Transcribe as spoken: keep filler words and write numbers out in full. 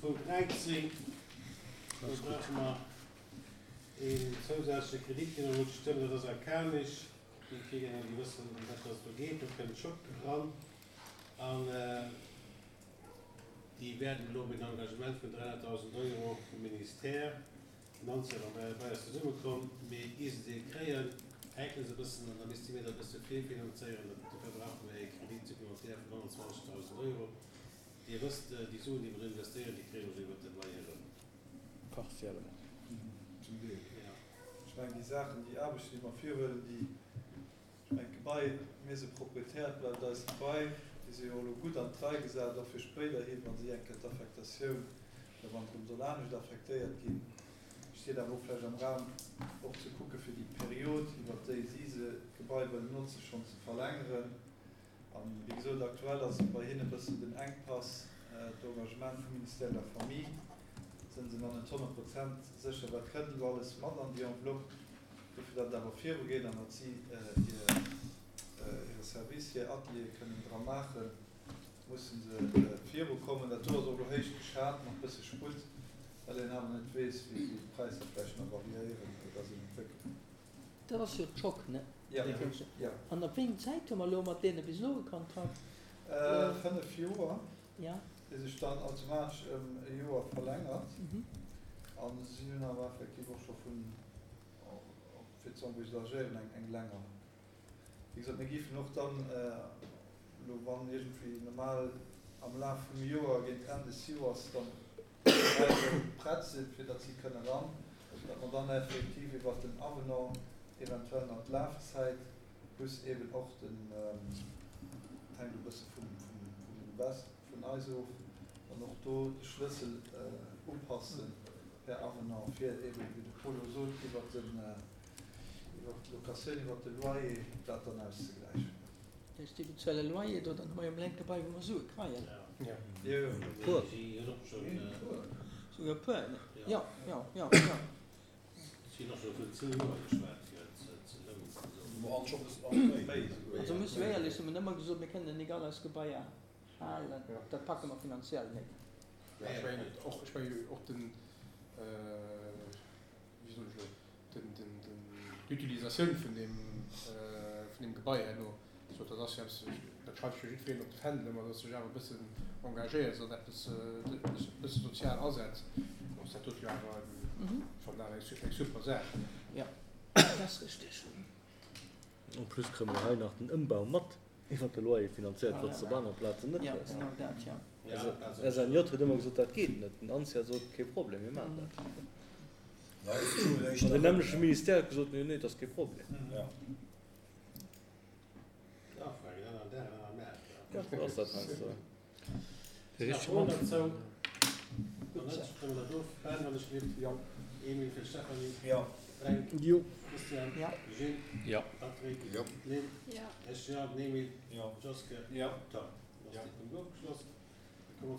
Punkt dräizéng. Do brauche mer een zousätzleche Kredit, dee mer musse stëmmen. Dat ass Arcanis. Déi kriegen, déi wëssen, ëm wat dass et do geet. Do kënnt Schock eran. An déi wäerten elo op een Engagement vun dräihonnertdausend Euro vum Ministère, Nancy a bei eis zesummekomm, mee ier se dee kréien, häkele se e bëssen an da misste mir dat e bësse virfinanzéieren. Dofir brauche mir ee Crédit supplémentaire vun honnertzwanzegdausend Euro. Dir wësst, déi Suen, déi mer do investéieren, déi kréie mer jo iwwert de Loyer erëm. Partiellement. Zum Deel. Ja. Ech mengen, déi Saachen, déi Aarbechten, déi mer virhuelen, déi, ech mengen, d'Gebai, mir si Proprietär, et bleift eist Gebai, déi si jo elo gutt an d'Rei gesat, och fir spéiderhi, wa si eng Kéier d'Affektatioun, oder wann et erëm soll anescht affektéiert ginn, steet awer och vläicht am Raum, och ze kucke fir déi Period, iwwert déi si se, d'Gebai wëllen notzen, schonn ze verlängeren. An, wéi gesot, aktuell ass et bei hinne e bëssen den Enkpass, d'Engagement vum Ministère de la Famille, sënn se nach net honnert Prozent sécher, wat kënnt elo alles mat an déi Enveloppe, dofir datt et awer virugeet an datt si hire Service, hir Ateliere kënnen dra maachen, musse se virukommen. Dat do ass och elo héich geschat, mat bësse Sputt, well een awer net weess, wéi d'Präisser vläicht nach variéieren oder sech entwéckelen. Dat ass jo d'Schock, ne? Ja, ja. An op wéi eng Zäit hu mer elo mat deene bis elo e Kontrakt? Fënnef Joer, Ja. dee sech dann automatesch ëm e Joer verlängert. A si hunn awer effektiv och scho vun, fir ze envisagéieren, eng, eng länger. Wéi gesot, mir géifen och dann elo, wann iergendwéi normal am Laf vum Joer, géint Enn des Joers dann d'Präisser prett sinn, fir datt si kënne ran, datt mer dann effektiv iwwert den Avenant eventuell nach d'Lafzäit plus eben och den, dat hänkt e bësse vum, vum, vum Invest vun eis of, dann och do de Schlëssel upassen per Avenant, fir eben, wéi de Paul elo sot, iwwert den, iwwert d'Locatioun, iwwert de Loyer dat dann auszegläichen. Dat heescht, déi bezuele Loyer do, dann hu mer jo emol enk Gebai, wou mer Sue kreien. Jo, jo. Puer. Souguer puer, ne? Jo, jo, jo, jo. Also muss jo éierlech soen, mir hunn ëmmer gesot, mir kënnen nik all eis Gebaier halen, dat packe mer finanziell net. Ech mengen och, ech mengen och den, wéi soen ech elo, den, den, den, d'Utilisatioun vun deem, vun deem Gebai herno, so dat ass jo eppes, dat schreift sech jo jiddwereen op de Fändel ëmmer, datt sech awer e bëssen engagéiert an eppes, e bësse sozial asetzt. Bon, ass dat dot jo awer fannen awer eng super Saach. Jo, dat ass richteg. En plus kréie mer hei nach den Ëmbau mat iwwer de Loyer finanzéiert, wat s de op aner Plazen net Jo, hues. genau dat, jo. Also S N J huet ëmmer gesot, dat geet net. Den ANCIA sot, kee Problem, mir maachen dat. An den nämmleche Ministère huet gesot, nee, nee, dat ass kee Problem. Ja, sou ass dat heiansdo. De richtege Mann. Jo. Jo.